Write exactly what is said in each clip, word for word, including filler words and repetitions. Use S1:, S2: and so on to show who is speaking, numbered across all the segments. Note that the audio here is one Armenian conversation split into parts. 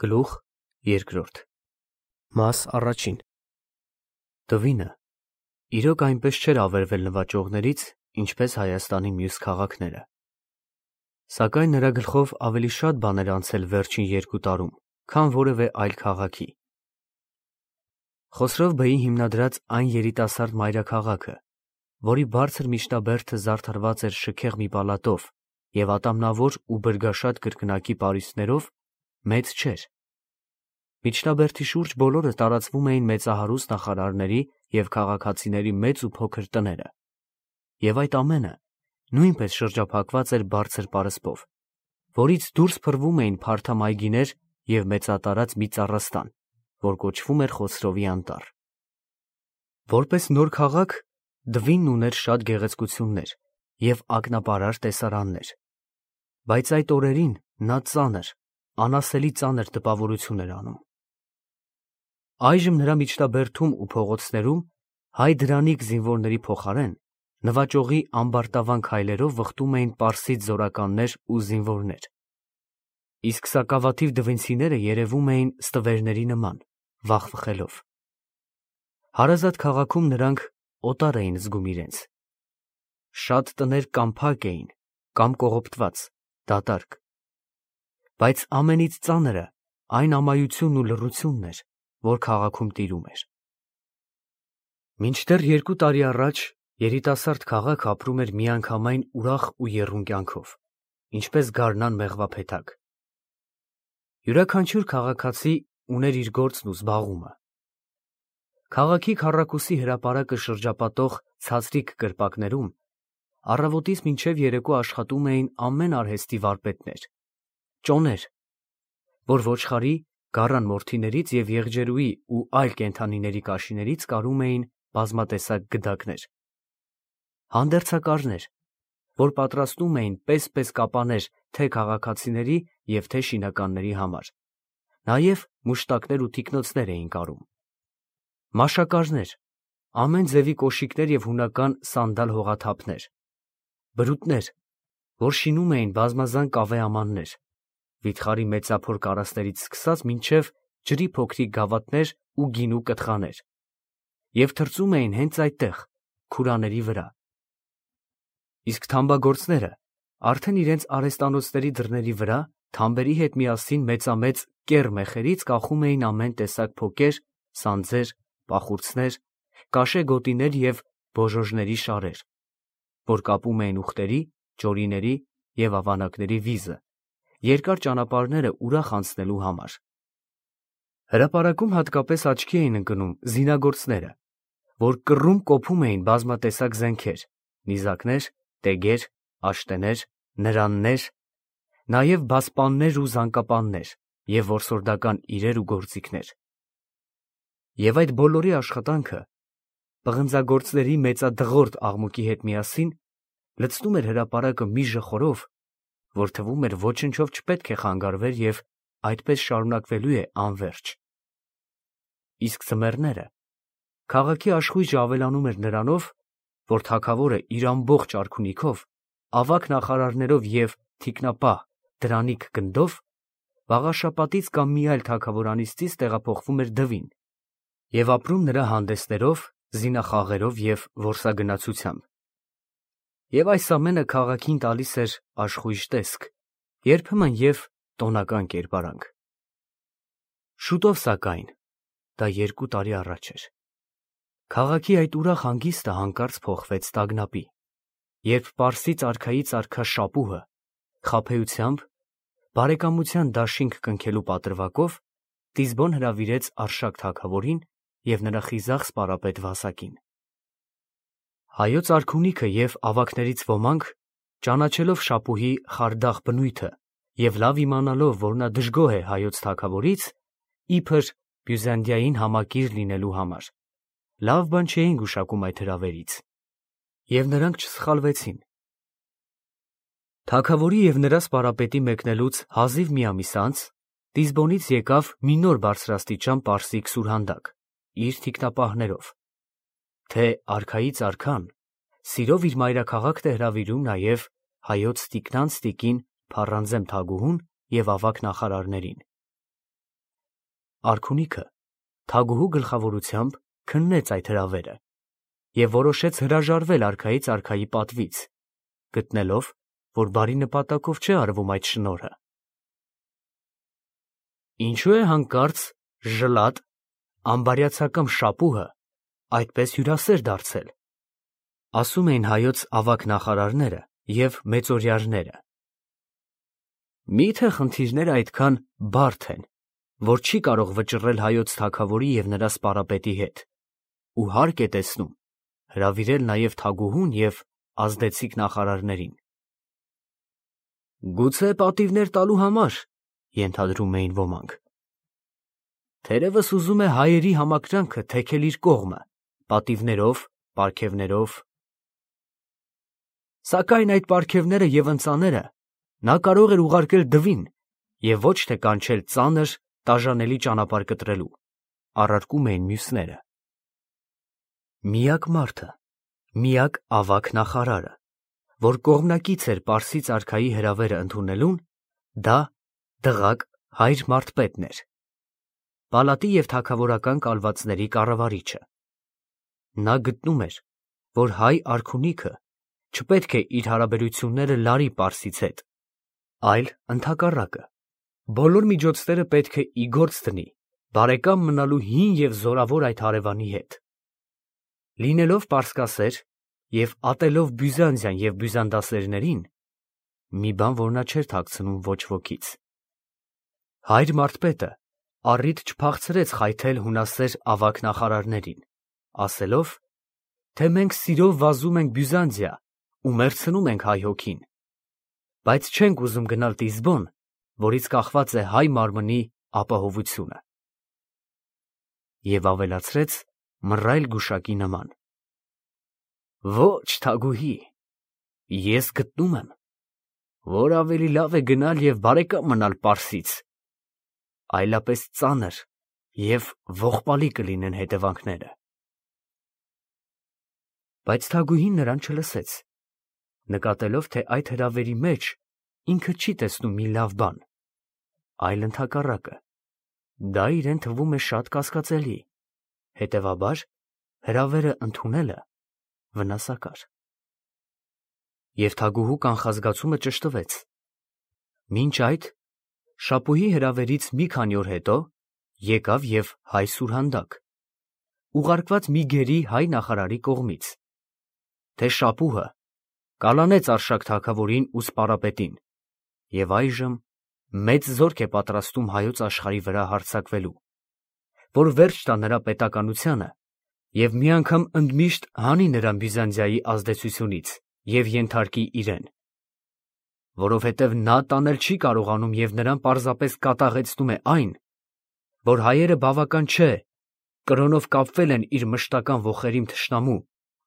S1: Գլուխ երկրորդ Մաս առաջին Տվինը իրոք այնպես չէր ավերվել նվաճողներից, ինչպես Հայաստանի մյուս քաղաքները։ Սակայն նրա գլխով ավելի շատ բաներ անցել վերջին երկու տարում, քան որևէ այլ քաղաքի։ Խոսրով Բեի հիմնադրած այն երիտասարդ մայրաքաղաքը, որի բարձր միջնաբերդը զարդարված էր շքեղ մի պալատով և ատամնավոր ու բրգաշատ կրկնակի պարիսպներով, մեծ չէր։ Միջնաբերդի շուրջ բոլորը տարածվում էին մեծահարուստ նախարարների և քաղաքացիների մեծ ու փոքր տները, և այդ ամենը նույնպես շրջափակված էր բարձր պարսպով, որից դուրս փռվում էին փարթամ այգիներ և մեծատարած մի ծառաստան, որ կոչվում էր Խոսրովի անտառ։ Որպես նոր քաղաք, Դվինն ուներ շատ գեղեցկություններ և ակնապարար տեսարաններ, բայց այդ օրերին նա ծանր, անասելի ծանր տպավորություն էր անում։ Այժմ նրա միջնաբերդում ու փողոցներում հայ դրանիկ զինվորների փոխարեն նվաճողի ամբարտավան քայլերով վխտում էին պարսից զորականներ ու զինվորներ, իսկ սակավաթիվ դվինցիները երևում էին ստվերների նման, վախվխելով։ Հարազատ քաղաքում նրանք օտար էին զգում իրենց։ Շատ տներ կամ փակ էին, կամ կողոպտված, դատարկ, բայց ամենից ծանրը այն ամայությունն ու լռությունն էր, որ քաղաքում տիրում էր։ Մինչդեռ երկու տարի առաջ երիտասարդ քաղաքը ապրում էր միանգամայն ուրախ ու եռուն կյանքով, ինչպես գարնան մեղվափեթակ։ Յուրաքանչյուր քաղաքացի ուներ իր գործն ու զբաղումը։ Քաղաքի քառակուսի հրապարակը շրջապատող ցածրիկ կրպակներում առավոտից մինչև երեկո աշխատում էին ամեն արհեստի վարպետներ, ճոներ, որ ոչխարի, գառան մորթիներից և եղջերուի ու այլ կենդանիների կաշիներից կարում էին բազմատեսակ գդակներ, հանդերձակարներ, որ պատրաստում էին պես-պես կապաներ թե քաղաքացիների և թե շինականների համար, նաև մուշտակներ ու թիկնոցներ էին կարում, մաշակարներ, ամեն ձևի կոշիկներ և հունական սանդալ հողաթափներ, բրուտներ, որ շինում էին բազմազան կավե ամաններ, վիթխարի մեծափոր կարասներից սկսած մինչև ջրի փոքրիկ գավաթներ ու գինու կթխաներ, և թրծում էին հենց այդտեղ, քուրաների վրա։ Իսկ թամբագործները արդեն իրենց արհեստանոցների դռների վրա թամբերի հետ միասին մեծամեծ կեռ մեխերից կախում էին ամեն տեսակ փոկեր, սանձեր, պախուրձներ, կաշե գոտիներ և բոժոժների շարեր, որ կապում էին ուղտերի, ճորիների և ավանակների վիզը, երկար ճանապարհները ուրախ անցնելու համար։ Հրապարակում հատկապես աչքի էին ընկնում զինագործները, որ կռում կոփում էին բազմատեսակ զենքեր, նիզակներ, տեգեր, աշտեներ, նրաններ, նաև բասպաններ ու զանկապաններ և որսորդական իրեր ու գործիքներ։ Եվ այդ բոլորի աշխատանքը պղնձագործների մեծադղրդ աղմուկի հետ միասին լցնում էր հրապարակը մի ժխորով, որ թվում էր ոչնչով չպետք է խանգարվեր և այդպես շարունակվելու է անվերջ։ Իսկ ձմեռները քաղաքի աշխույժը ավելանում էր նրանով, որ թագավորը իր ամբողջ արքունիքով, ավագ նախարարներով և թիկնապահ դրանիկ գնդով վաղաշաբաթից կամ մի այլ թագավորանիցից տեղափոխվում էր Դվին և ապրում նրա հանդեսներով, զինախաղերով և որսագնացությամբ։ Եվ այս ամենը քաղաքին տալիս էր աշխույժ տեսք, երբեմն և տոնական կերպարանք։ Շուտով, սակայն, դա երկու տարի առաջ էր, քաղաքի այդ ուրախ հանգիստը հանկարծ փոխվեց տագնապի, երբ պարսից արքայից արքա Շապուհը խաբեությամբ, բարեկամության դաշինք կնքելու պատրվակով Տիզբոն հրավիրեց Արշակ թագավորին և նրա խիզախ սպարապետ Վասակին։ Հայոց արքունիքը և ավագներից ոմանք, ճանաչելով Շապուհի խարդախ բնույթը և լավ իմանալով, որ նա դժգոհ է հայոց թագավորից, իբր Բյուզանդիային համակիր լինելու համար, լավ բան չէին գուշակում այդ հրավերից, և նրանք չսխալվեցին։ Թագավորի և նրա սպարապետի մեկնելուց հազիվ մի ամիս անց Տիզբոնից եկավ մի նոր բարձրաստիճան պարսիկ սուրհանդակ իր թիկնապահներով, թե արքայից արքան սիրով իր մայրաքաղաքն է հրավիրում նաև հայոց տիկնանց տիկին Փառանձեմ թագուհուն և ավագ նախարարներին։ արքունիքը թագուհու գլխավորությամբ քննեց այդ հրավերը և որոշեց հրաժարվել արքայից արքայի պատվից, գտնելով, որ բարի նպատակով չէ արվում այդ շնորհը։ Ինչու է հանկարծ ժլատ, ամբարյացակամ շապուհը այդպես հյուրասեր դարձել, ասում էին հայոց ավագ նախարարները և մեծօրյարները։ Մի՞թե խնդիրները այդքան բարդ են, որ չի կարող վճռել հայոց թագավորի և նրա սպառապետի հետ, ու հարկ է տեսնում հրավիրել նաև թագուհուն և ազդեցիկ նախարարներին։ Գուցե պատիվներ տալու համար, ենթադրում էին ոմանք։ Թերևս ուզում է հայերի համակրանքը թեքել իր կողմը, պատիվներով, պարգևներով։ Սակայն այդ պարգևները և ընծաները նա կարող էր ուղարկել դվին և ոչ թե կանչել ծանր, տաժանելի ճանապարհ կտրելու, առարկում էին մյուսները։ Միակ մարդը, միակ ավագ նախարարը, որ կողմնակից էր պարսից արքայի հրավերը ընդունելուն, դա դղակ հայր մարդպետն էր, պալատի և թագավորական կալվածների կառավարիչը։ Նա գտնում էր, որ հայ արքունիքը չպետք է իր հարաբերությունները լարի պարսից հետ, այլ ընդհակառակը, բոլոր միջոցները պետք է ի գործ դնի բարեկամ մնալու հին և զորավոր այդ հարևանի հետ։ Լինելով պարսկասեր և ատելով Բյուզանդիան և բյուզանդասերներին, մի բան, որ նա չէր թաքցնում ոչ ոքից, հայր մարդպետը առիթ չփախցրեց խայթել հունասեր ավագ նախարարներին, ասելով, թե մենք սիրով վազում ենք Բյուզանդիա ու մեռցնում ենք հայ հոգին, բայց չենք ուզում գնալ Տիզբոն, որից կախված է հայ մարմնի ապահովությունը։ Եվ ավելացրեց մռայլ գուշակի նման. Ոչ, թագուհի, ես գտնում եմ, որ ավելի լավ է գնալ և բարեկամ մնալ պարսից, այլապես ծանր և ողբալի կլինեն հետևանքները։ Բայց թագուհին նրան չլսեց, նկատելով, թե այդ հրավերի մեջ ինքը չի տեսնում մի լավ բան, այլ ընդհակառակը, դա իրեն թվում է շատ կասկածելի, հետևաբար հրավերը ընդունելը վնասակար։ Եվ թագուհու կանխազգացումը ճշտվեց։ Մինչ այդ շապուհի հրավերից մի քանի օր հետո եկավ և հայ սուրհանդակ, ուղարկված մի գերի հայ նախարարի կողմից, թե շապուհը կալանեց Արշակ թագավորին ու սպառապետին և այժմ մեծ զորք է պատրաստում հայոց աշխարհի վրա հարձակվելու, որ վերջ տա նրա պետականությանը և մի անգամ ընդմիշտ հանի նրան Բյուզանդիայի ազդեցությունից և ենթարկի իրեն, որովհետև նա տանել չի կարողանում և նրան պարզապես կատաղեցնում է այն, որ հայերը բավական չէ կրոնով կապվել են իր մշտական ոխերիմ թշնամու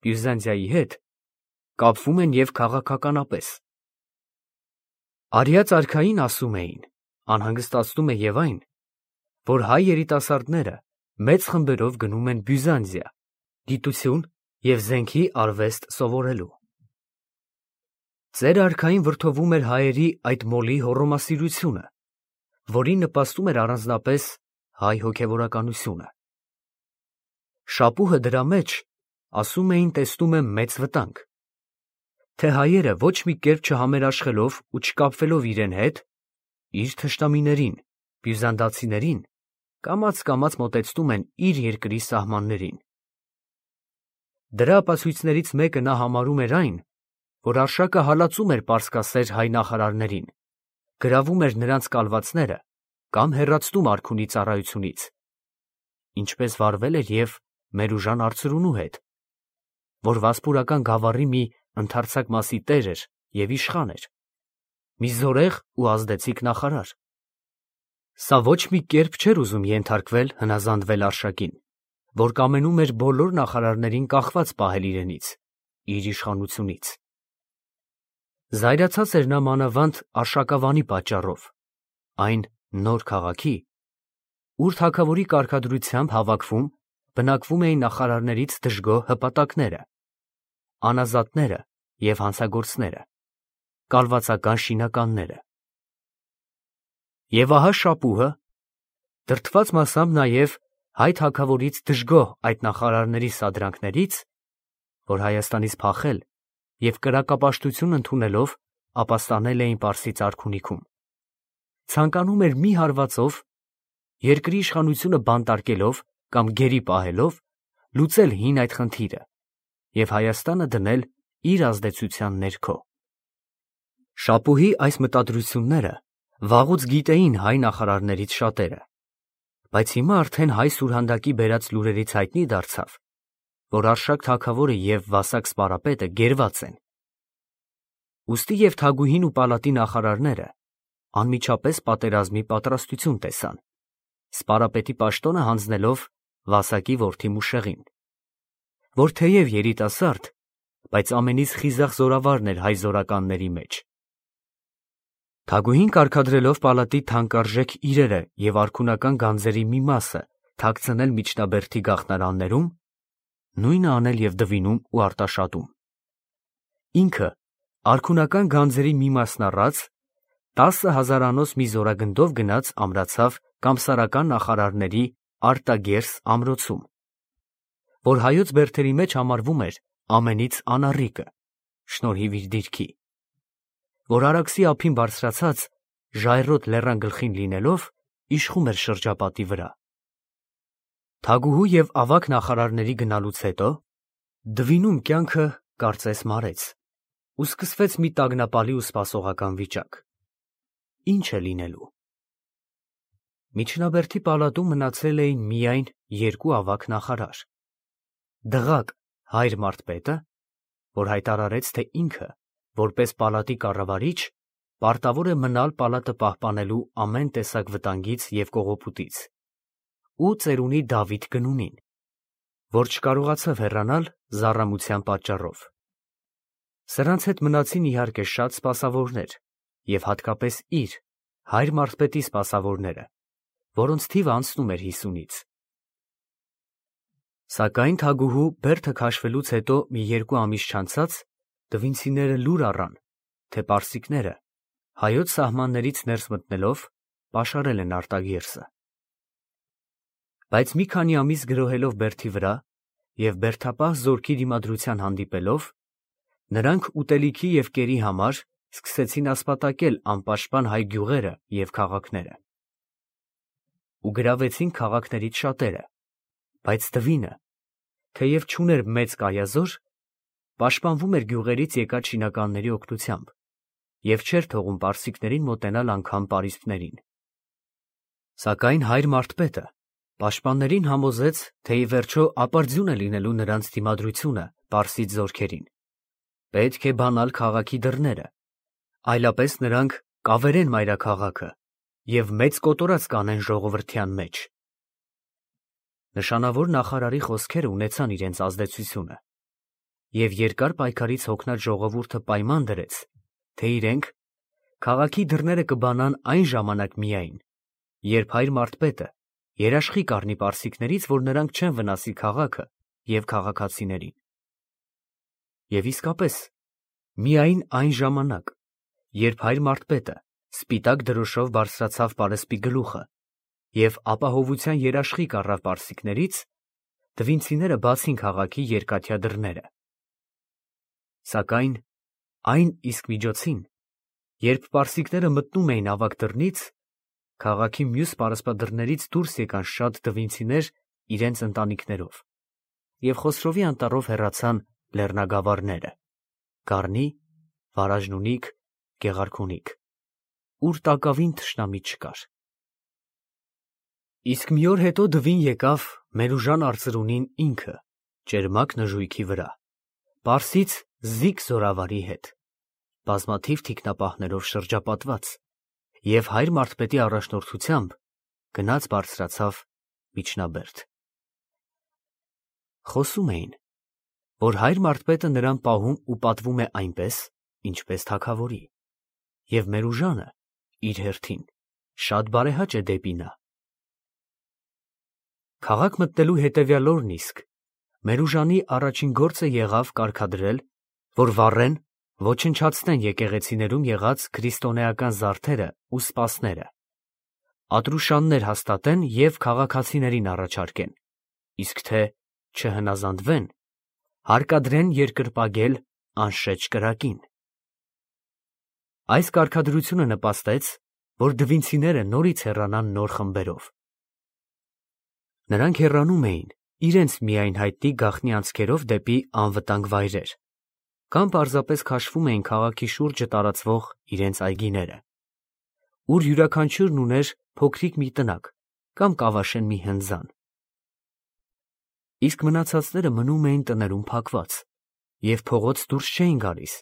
S1: Բյուզանդիայի հետ, կապվում են և քաղաքականապես։ Արիած արքային, ասում էին, անհանգստացնում է և այն, որ հայ երիտասարդները մեծ խմբերով գնում են Բյուզանդիա գիտություն և զենքի արվեստ սովորելու։ Ծեր արքային վրդովում էր հայերի այդ մոլի հոռոմասիրությունը, որին նպաստում էր առանձնապես հայ հոգևորականությունը։ Շապուհը դրա մեջ, ասում էին, տեսնում է մեծ վտանգ, թե հայերը ոչ մի կերպ չհամերաշխելով ու չկապվելով իրեն հետ, իր թշնամիներին, բյուզանդացիներին, կամաց-կամաց մոտեցնում են իր երկրի սահմաններին։ Դրա ապացույցներից մեկը նա համարում էր այն, որ Արշակը հալածում էր պարսկասեր հայ նախարարներին, գրավում էր նրանց կալվածները կամ հեռացնում արքունի ծառայությունից, ինչպես վարվել էր և Մերուժան արծրունու հետ, որ վասպուրական գավառի մի ընդարձակ մասի տեր էր և իշխան էր, մի զորեղ ու ազդեցիկ նախարար։ Սա ոչ մի կերպ չէր ուզում ենթարկվել հնազանդվել Արշակին, որ կամենում էր բոլոր նախարարներին կախված պահել իրենից, իր իշխանությունից։ Զայրացած էր նա մանավանդ Արշակավանի պատճառով, այն նոր քաղաքի, ուր թագավորի կարգադրությամբ հավաքվում, բնակվում էին նախարարներից դժգոհ հպատակները, անազատները և հանցագործները, կալվածական շինականները։ Եվ ահա շապուհը, Դրդված մասամբ նաև հայ թագավորից դժգոհ այդ նախարարների սադրանքներից, որ Հայաստանից փախել և կրակապաշտություն ընդունելով ապաստանել էին Պարսից արքունիքում, ցանկանում էր մի հարվածով, երկրի իշխանությունը բանտարկելով կամ գերի պահելով, լուծել հին այդ խնդիրը և Հայաստանը դնել իր ազդեցության ներքո։ Շապուհի այս մտադրությունները վաղուց գիտեին հայ նախարարներից շատերը, բայց հիմա արդեն հայ սուրհանդակի բերած լուրերից հայտնի դարձավ, որ Արշակ թագավորը և Վասակ սպարապետը գերված են։ Ուստի և Թագուհին ու պալատի նախարարները անմիջապես պատերազմի պատրաստություն տեսան, Սպարապետի պաշտոնը հանձնելով Վասակի որդի Մուշեղին, որ թեև երիտասարդ, բայց ամենից խիզախ զորավարն էր հայ զորականների մեջ։ Թագուհին կարգադրելով պալատի թանկարժեք իրերը և արքունական գանձերի մի մասը թաքցնել միջնաբերդի գաղթարաններում, նույնը անել և Դվինում ու Արտաշատում։ Ինքը արքունական գանձերի մի մասն առած, տասը հազարանոց մի զորագնդով գնաց ամրացավ կամսարական նախարարների Արտագերս ամրոցում, որ հայոց բերդերի մեջ համարվում էր ամենից անառիկը, շնորհիվ իր դիրքի, որ Արաքսի ափին բարձրացած ժայռոտ լեռան գլխին լինելով իշխում էր շրջապատի վրա։ Թագուհու և ավագ նախարարների գնալուց հետո Դվինում կյանքը կարծես մարեց ու սկսվեց մի տագնապալի ու սպասողական վիճակ։ Ինչ է լինելու։ Միջնաբերդի պալատում մնացել էին միայն երկու ավագ նախարար. Դղակ Հայր Մարթպետը, որ հայտարարեց, թե ինքը, որպես պալատի կառավարիչ, պարտավոր է մնալ պալատը պահպանելու ամեն տեսակ վտանգից և կողոպուտից, ու ծերունի Դավիթ Գնունին, որ չկարողացավ հեռանալ զառամության պատճառով։ Սրանց հետ մնացին իհարկե շատ սպասավորներ և հատկապես իր, Հայր Մարթպետի սպասավորները, որոնց թիվը անցնում էր հիսունից։ Սակայն Թագուհու բերդը քաշվելուց հետո մի երկու ամիս չանցած դվինցիները լուր առան, թե պարսիկները, հայոց սահմաններից ներս մտնելով, պաշարել են Արտագերսը։ Բայց մի քանի ամիս գրոհելով բերդի վրա և բերդապահ զորքի դիմադրության հանդիպելով, նրանք ուտելիքի և կերի համար սկսեցին ասպատակել անպաշտպան հայ գյուղերը և քաղաքները։ Ու գրավեցին քաղաքներից շատերը, բայց Դվինը, թեև չուներ մեծ կայազոր, պաշտպանվում էր գյուղերից եկած շինականների օգնությամբ և չէր թողում պարսիկներին մոտենալ անգամ պարիսպներին։ Սակայն Հայր Մարթպետը պաշտպաններին համոզեց, թե ի վերջո ապարդյուն է լինելու նրանց դիմադրությունը պարսից զորքերին, պետք է բանալ քաղաքի դռները, այլապես նրանք կավերեն մայրաքաղաքը և մեծ կոտորած կանեն ժողովրդյան մեջ։ Նշանավոր նախարարի խոսքերը ունեցան իրենց ազդեցությունը, և երկար պայքարից հոգնած ժողովուրդը պայման դրեց, թե իրենք քաղաքի դռները կբանան այն ժամանակ միայն, երբ Հայր Մարթպետը երաշխի կառնի պարսիկներից, որ նրանք չեն վնասի քաղաքը և քաղաքացիներին։ Եվ իսկապես, միայն այն ժամանակ, երբ Հայր Մարթպետը սպիտակ դրոշով բարձրացավ պարսպի գլուխը և ապահովության երաշխիք առավ պարսիկներից, դվինցիները բացին քաղաքի երկաթյա դռները։ Սակայն այն իսկ միջոցին, երբ պարսիկները մտնում էին ավագ դռնից, քաղաքի մյուս պարսպադռներից դուրս եկան շատ դվինցիներ իրենց ընտանիքներով և Խոսրովի անտառով հեռացան լեռնագավառները՝ Գառնի, Վարաժնունիք, Գեղարքունիք, ուր տակավին թշնամի չկար։ Իսկ մի օր հետո Դվին եկավ Մերուժան արծրունին ինքը, ճերմակ նժույգի վրա, պարսից զիկ զորավարի հետ, բազմաթիվ թիկնապահներով շրջապատված, և Հայր Մարթպետի առաջնորդությամբ գնաց բարձրացավ միջնաբերդ։ Խոսում էին, որ Հայր Մարթպետը նրան պահում ու պատվում է այնպես, ինչպես թագավորի, և Մերուժանը իր հերթին շատ բարեհաճ է դեպի նա։ Քաղաք մտնելու հետևյալ օրն իսկ Մերուժանի առաջին գործը եղավ կարգադրել, որ վառեն, ոչնչացնեն եկեղեցիներում եղած քրիստոնեական զարդերը ու սպասները, ատրուշաններ հաստատեն և քաղաքացիներին առաջարկեն, իսկ թե չհնազանդվեն, հարկադրեն երկրպագել անշեջ կրակին։ Այս կարգադրությունը նպաստեց, որ դվինցիները նորից հեռանան նոր խմբերով։ Նրանք հեռանում էին իրենց միայն հայտնի գաղտնի անցքերով դեպի անվտանգ վայրեր, կամ պարզապես քաշվում էին քաղաքի շուրջը տարածվող իրենց այգիները, ուր յուրաքանչյուրն ուներ փոքրիկ մի տնակ կամ կավաշեն մի հնձան։ Իսկ մնացածները մնում էին տներում փակված և փողոց դուրս չէին գալիս,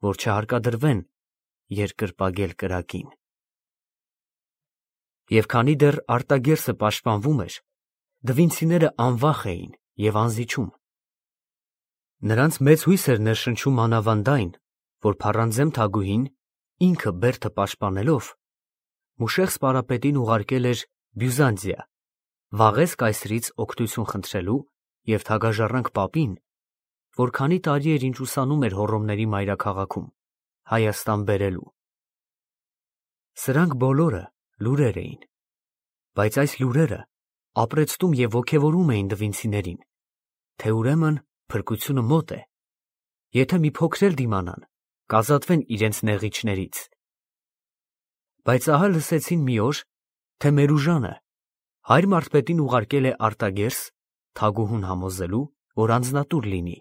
S1: որ չհարկադրվեն երկրպագել կրակին։ Եվ քանի դեռ արտագերսը պաշտպանվում էր, դվինցիները անվախ էին և անզիջում։ Նրանց մեծ հույս էր ներշնչում մանավանդ այն, որ փառանձեմ Թագուհին, ինքը բերդը պաշտպանելով, Մուշեղ սպարապետին ուղարկել էր Բյուզանդիա, Վաղես կայսրից օգնություն խնդրելու և թագաժառանգ պապին, որ քանի տարի էր ինչ ուսանում էր Հոռոմների մայրաքաղաքում, Հայաստան բերելու։ Սրանք բոլորը լուրեր էին, բայց այս լուրերը ապրեցնում և ոգևորում էին դվինցիներին, թե ուրեմն փրկությունը մոտ է, եթե մի փոքր էլ դիմանան, կազատվեն իրենց նեղիչներից։ Բայց ահա լսեցին մի օր, թե Մերուժանը հայր մարզպետին ուղարկել է արտագերս Թագուհուն համոզելու, որ անձնատուր լինի։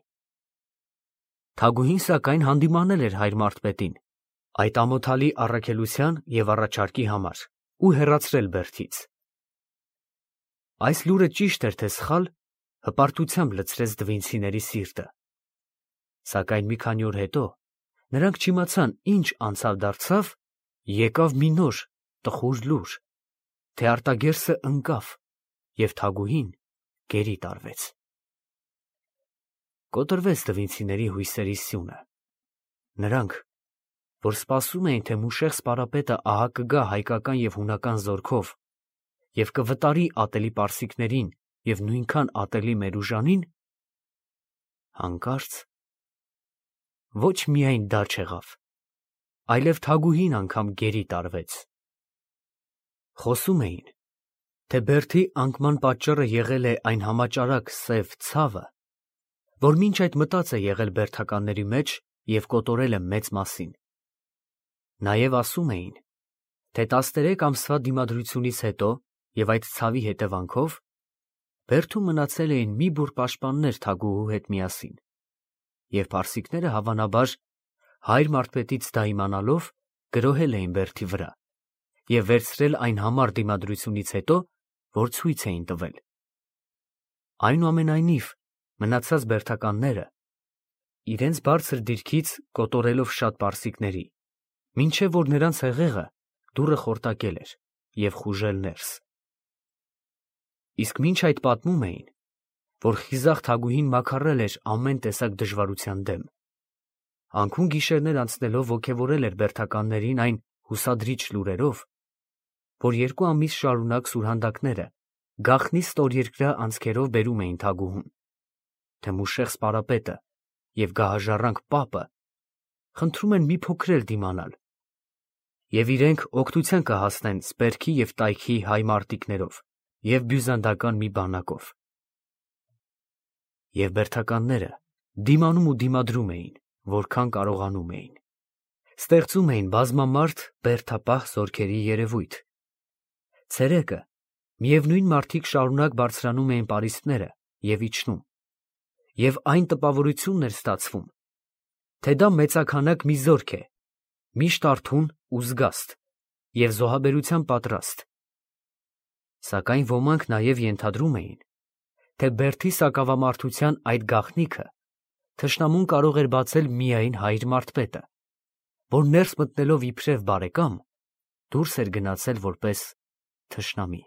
S1: Թագուհին սակայն հանդիմանել էր հայր մարզպետին այդ ամոթալի առաքելության և առաջարկի համար ու հեռացրել բերդից։ Այս լուրը ճիշտ էր թե սխալ, հպարտությամբ լցրեց դվինցիների սիրտը, սակայն մի քանի օր հետո նրանք չիմացան ինչ անցավ դարձավ, եկավ մի նոր տխուր լուր, թե արտագերսը ընկավ և Թագուհին գերի տարվեց։ Կոտրվեց դվինցիների հույսերի սյունը։ Նրանք, որ սպասում էին, թե Մուշեղ սպարապետը ահա կգա հայկական և հունական զորքով և կվտարի ատելի պարսիկներին և նույնքան ատելի Մերուժանին, հանկարծ ոչ միայն դա չեղավ, այլև Թագուհին անգամ գերի տարվեց։ Խոսում էին, թե բերդի անկման պատճառը եղել է այն համաճարակ սև ցավը, որ մինչ այդ մտած է եղել բերդականների մեջ և կոտորել է մեծ մասին։ Նաև ասում էին, թե տասներեք ամսվա դիմադրությունից հետո և այդ ցավի հետևանքով բերդում մնացել էին մի բուռ պաշտպաններ Թագուհու հետ միասին, և պարսիկները հավանաբար հայր մարզպետից դա իմանալով գրոհել էին բերդի վրա և վերցրել այն համառ դիմադրությունից հետո, որ ցույց էին տվել։ Այնուամենայնիվ, մնացած բերդականները իրենց բարձր դիրքից կոտորելով շատ պարսիկների, մինչև որ նրանց հեղեղը դուռը խորտակել էր և խուժել ներս։ Իսկ մինչ այդ պատմում էին, որ խիզախ Թագուհին մաքարել էր ամեն տեսակ դժվարության դեմ, անքուն գիշերներ անցնելով ոգևորել էր բերդականներին այն հուսադրիչ լուրերով, որ երկու ամիս շարունակ սուրհանդակները գաղտնի ստորերկրյա անցքերով բերում էին Թագուհուն, թե Մուշեղ սպարապետը և գահաժառանգ պապը խնդրում են մի փոքր էլ դիմանալ, և իրենք օգնության կհասնեն Սպերքի և Տայքի հայ մարտիկներով և բյուզանդական մի բանակով։ Եվ բերդականները դիմանում ու դիմադրում էին, որքան կարողանում էին, ստեղծում էին բազմամարդ բերդապահ զորքերի երևույթ։ Ցերեկը միևնույն մարդիկ շարունակ բարձրանում էին պարիսպները և իջնում, և այն տպավորությունն էր ստացվում, թե դա մեծաքանակ մի զորք է, միշտ արթուն ու զգաստ և զոհաբերության պատրաստ։ Սակայն ոմանք նաև ենթադրում էին, թե բերդի սակավամարտության այդ գաղտնիքը թշնամուն կարող էր բացել միայն հայր մարզպետը, որ ներս մտնելով իբրև բարեկամ, դուրս էր գնացել որպես թշնամի։